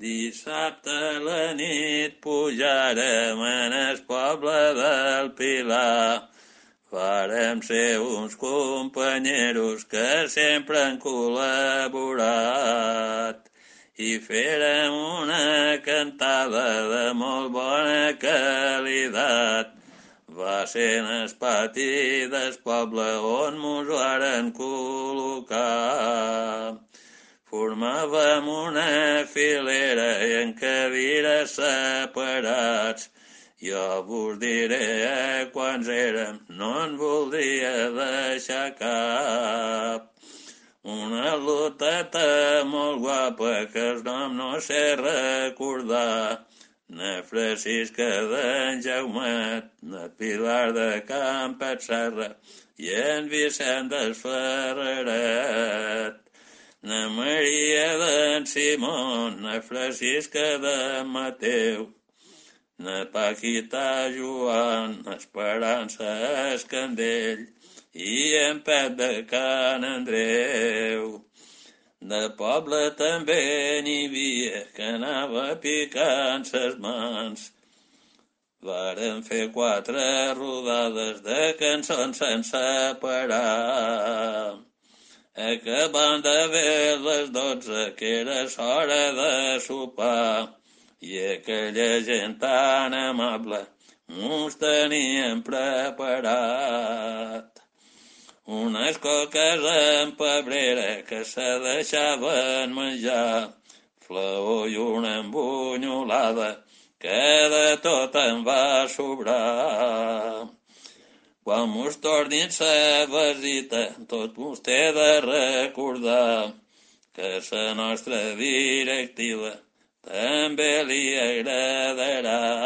Dissabte a la nit pujarem en el poble del Pilar. Farem ser uns companyeros que sempre han col·laborat i farem una cantada de molt bona qualitat. Va ser en el pati del poble on mos varen col·locar. Formàvem una filera i en cadires separats. Jo vos diré quants érem, no en voldria deixar cap. Una loteta molt guapa que el nom no sé recordar. Na Francisca d'en Jaumet, na Pilar de Campet Serra i en Vicent del Ferreret. Na Maria d'en Simon, na Francisca d'en Mateu, na Paquita Joan, Esperança Escandell i en Pep de Can Andreu. De poble també n'hi havia que anava picant ses mans. Varen fer 4 rodades de cançons sense parar. Acabant de ver les 12, que era hora de sopar, i aquella gent tan amable mos tenien preparat. Unes coques amb pebrera que se deixaven menjar, flaó i una embunyolada que de tot en va sobrar. Quan mos tornin sa visita, tot mos té de recordar que sa nostra directiva també li agradarà.